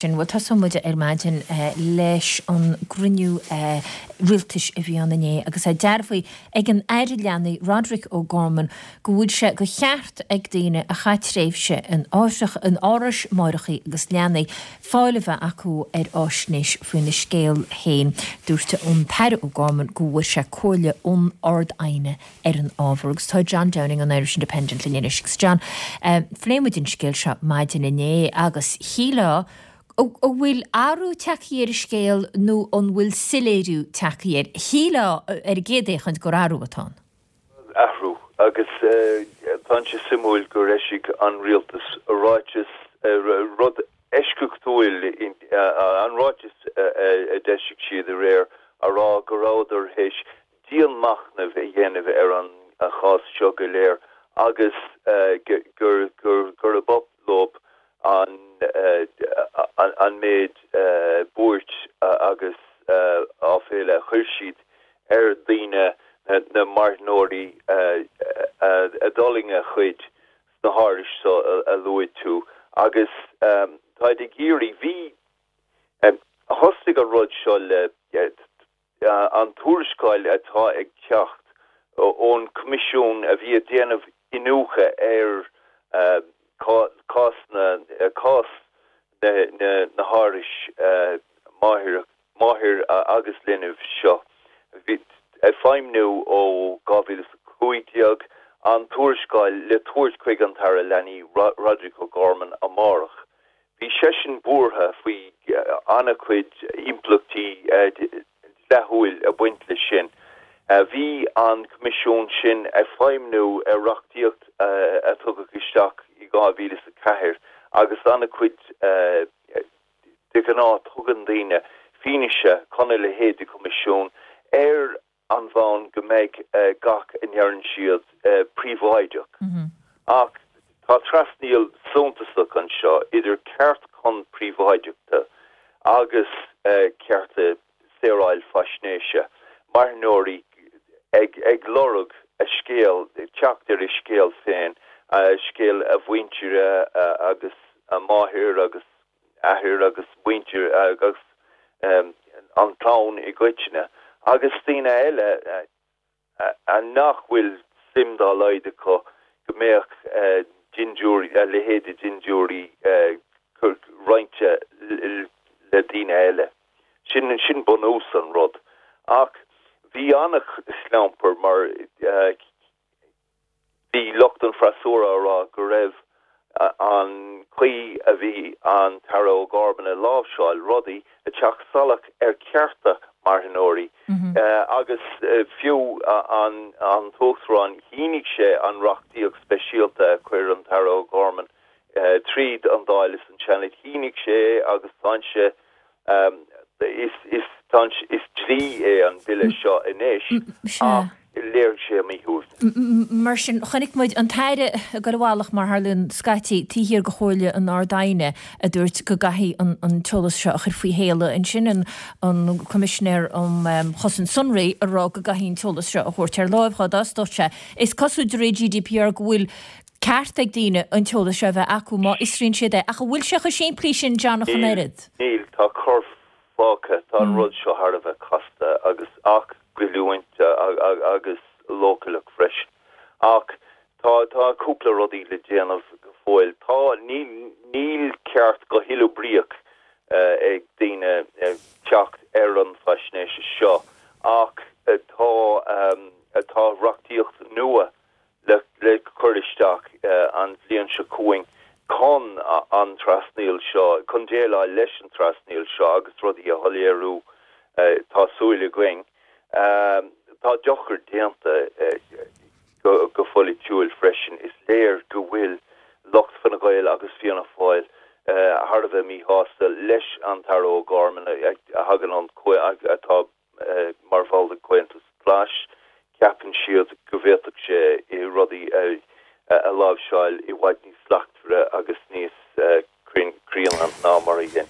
Sin, bhuel, tosóidh muid ar maidin leis an gcruinniú rialtais a bhí ann inné agus é dearbhaithe ag an Aire Leanaí, Roderic O'Gorman, go bhfuil sé de cheart ag daoine a chaith tréimhse in in árais máithreacha agus leanaí fáil a bheith acu ar fháisnéis faoina scéal féin. Dúirt an tAire O'Gorman go bhfuair sé comhairle ón Ard-Aighne ar an ábhar agus tá John Downing ón Irish Independent linn anois. Agus John, phléigh muid an scéal seo maidin inné agus shílfeá an bhfuil athrú tagtha ar an scéal nó an bhfuil soiléiriú tagtha air? Shílfeá ar an gcéad fhéachaint gur athrú atá ann. Athrú agus tá sé suimiúil gur eisigh an rialtas ráiteas, rud eisceachtúil, an ráiteas a d'eisigh siad aréir a rá go rabhadar théis dianmhachnamh a dhéanamh ar an chás seo go léir agus gurb oth leo an méid buairt agus áiféala a chuir siad ar dhaoine, na marthanóirí a d'fhulaing a chuid sna hárais seo a luaigh tú agus táid ag iarraidh, bhí, thosaigh an rud seo le. An tuarascáil atá ag teacht ón Coimisiún a bhí ag déanamh iniúchadh ar cás na cás na hárais máthar agus linbh seo, a bhí ag feidhmniú ó 2015, an tuarascáil le tabhairt chuig an tAire Leanaí Roderic O'Gorman amárach. Bhí seisean buartha faoi an-chuid impleachtaí dleathúil ag baint leis sin. Bhí an Coimisiún sin ag feidhmniú ar reachtaíocht a tugadh isteach i 2004 agus an-chuid de ghnáth tugann daoine fianaise chun a leithéid de choimisiún ar an bhonn go mbeidh gach a ndeireann siad príobháideach. Ach tá trasnaíl suntasach anseo idir ceart chun príobháideachta agus cearta saoráil faisnéise, marthanóirí ag lorg a scéal, teacht ar a scéal féin, scéal a mhuintire agus a máthair agus athair agus muintir agus an chlann i gcoitinne, agus daoine eile nach bhfuil suim dá laghad acu go mbeadh dintiúirí, a leithéid de dhintiúirí roinnte le daoine eile. Sin, sin bunús an rud. Ach bhí an-chlampar mar Bhí lucht an freasúra á rá go raibh an chaoi a bhí an tAire O'Gorman ag láimhseáil rudaí ag teacht salach ar chearta marthanóirí agus fiú an tUachtarán shínigh sé an reachtaíocht speisialta a chuir an tAire O'Gorman tríd an Dáil is an Seanad, shínigh sé é agus tá sé Is dlí é an bille seo anois ach léirigh sé a mhíshuaimhneas. Mar sin, chonaic muid an tAire ag dul i bhfalach, mar a tharlaíonn scaití, taobh thiar de chomhairle an Ard-Aighne a dúirt go gcaithfí an t-eolas seo a chur faoi shéala. Ansin an Coimisinéir um Chosaint Sonraí ag rá go gcaithfí an t-eolas seo a thabhairt ar láimh dhó dá d'fhostódh sé. Is cosúil de réir GDPR go bhfuil ceart ag daoine an t-eolas seo a bheith acu má fhiosraíonn siad é. Ach an bhfuil sé chomh simplí sin, John, ach an oiread? Níl, tá cor fágtha. Tá an rud seo thar a bheith casta agus ach goilliúint agus leochaileach freisin. Ach tá tá cúpla rudaí le déanamh go fóill. Tá, níl níl ceart go huathoibríoch ag daoine teacht ar an faisnéis seo ach tá tá reachtaíocht nua le cur isteach an bhliain seo chugainn chun an trasnaíl seo, chun déileáil leis an trasnaíl seo agus rudaí a shoiléiriú, tá súil againn. Tá dochar déanta go polaitiúil freisin. Is léir go bhfuil lucht Fine Gael agus Fianna Fáil thar a bheith míshásta leis an tAire O'Gorman a thagann ón, atá mar bhall den Chomhaontas Glas, ceapann siad go bhféadfadh sé rudaí a láimhseáil i bhfad níos slachtmhaire agus níos críonna ná mar a dhein.